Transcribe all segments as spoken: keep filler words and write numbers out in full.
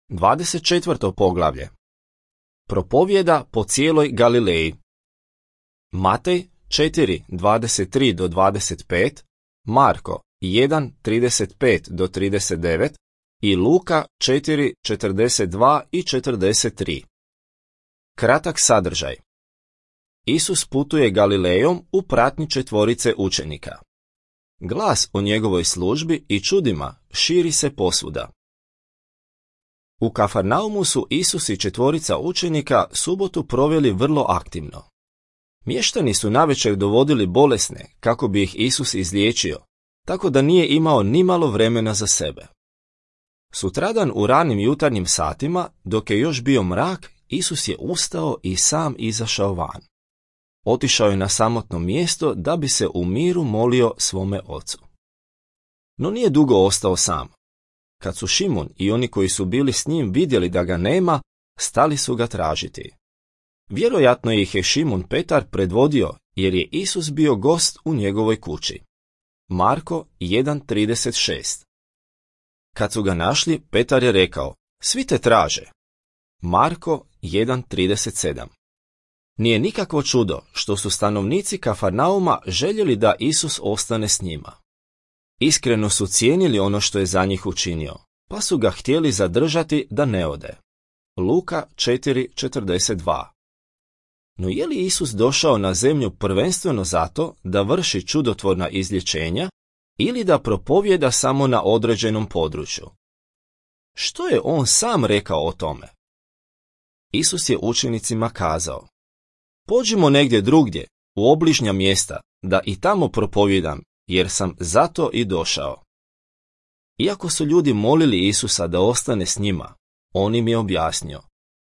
dvadeset četvrto poglavlje. Propovjeda po cijeloj Galileji. Matej četiri dvadeset tri do dvadeset pet, Marko jedan trideset pet do trideset devet i Luka četiri četrdeset dva i četrdeset tri. Kratak sadržaj. Isus putuje Galilejom u pratnji četvorice učenika. Glas o njegovoj službi i čudima širi se posvuda. U Kafarnaumu su Isus i četvorica učenika subotu proveli vrlo aktivno. Mještani su navečer dovodili bolesne kako bi ih Isus izliječio, tako da nije imao nimalo vremena za sebe. Sutradan u ranim jutarnjim satima, dok je još bio mrak, Isus je ustao i sam izašao van. Otišao je na samotno mjesto da bi se u miru molio svome ocu. No nije dugo ostao sam. Kad su Šimun i oni koji su bili s njim vidjeli da ga nema, stali su ga tražiti. Vjerojatno ih je Šimun Petar predvodio jer je Isus bio gost u njegovoj kući. Marko jedan trideset šest. Kad su ga našli, Petar je rekao: svi te traže. Marko jedan trideset sedam. Nije nikakvo čudo što su stanovnici Kafarnauma željeli da Isus ostane s njima. Iskreno su cijenili ono što je za njih učinio, pa su ga htjeli zadržati da ne ode. Luka četiri četrdeset dva. No je li Isus došao na zemlju prvenstveno zato da vrši čudotvorna izlječenja ili da propovjeda samo na određenom području? Što je on sam rekao o tome? Isus je učenicima kazao: pođimo negdje drugdje, u obližnja mjesta, da i tamo propovjedam, jer sam zato i došao. Iako su ljudi molili Isusa da ostane s njima, on im je objasnio: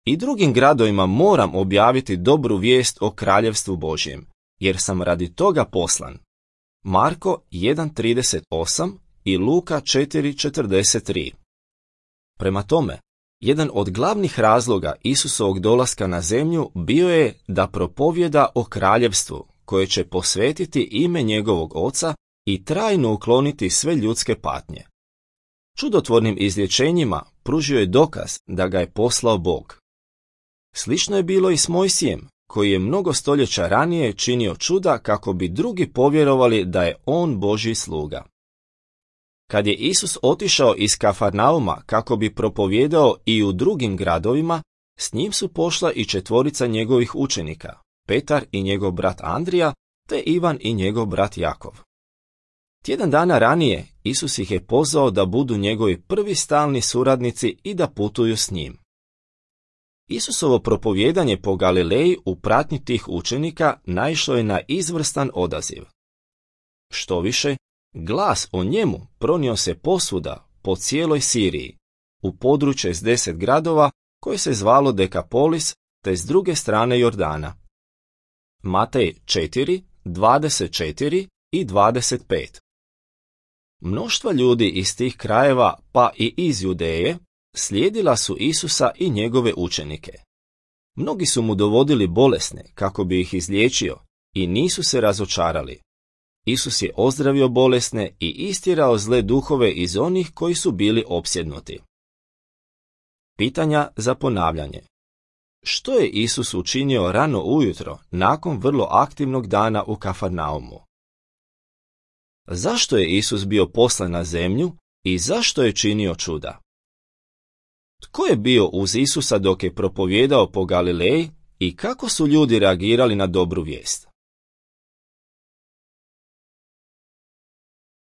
i drugim gradovima moram objaviti dobru vijest o kraljevstvu Božjem, jer sam radi toga poslan. Marko jedan trideset osam i Luka četiri četrdeset tri. Prema tome, jedan od glavnih razloga Isusovog dolaska na zemlju bio je da propovjeda o kraljevstvu koje će posvetiti ime njegovog oca i trajno ukloniti sve ljudske patnje. Čudotvornim izlječenjima pružio je dokaz da ga je poslao Bog. Slično je bilo i s Mojsijem, koji je mnogo stoljeća ranije činio čuda kako bi drugi povjerovali da je on Božji sluga. Kad je Isus otišao iz Kafarnauma kako bi propovjedao i u drugim gradovima, s njim su pošla i četvorica njegovih učenika, Petar i njegov brat Andrija, te Ivan i njegov brat Jakov. Tjedan dana ranije Isus ih je pozvao da budu njegovi prvi stalni suradnici i da putuju s njim. Isusovo propovjedanje po Galileji u pratnji tih učenika naišlo je na izvrstan odaziv. Štoviše, glas o njemu pronio se posvuda po cijeloj Siriji, u područje s deset gradova koje se zvalo Dekapolis, te s druge strane Jordana. Matej četiri dvadeset četiri i dvadeset pet. Mnoštva ljudi iz tih krajeva, pa i iz Judeje, slijedila su Isusa i njegove učenike. Mnogi su mu dovodili bolesne kako bi ih izliječio i nisu se razočarali. Isus je ozdravio bolesne i istjerao zle duhove iz onih koji su bili opsjednuti. Pitanja za ponavljanje. Što je Isus učinio rano ujutro nakon vrlo aktivnog dana u Kafarnaumu? Zašto je Isus bio poslan na zemlju i zašto je činio čuda? Tko je bio uz Isusa dok je propovjedao po Galileji i kako su ljudi reagirali na dobru vijest?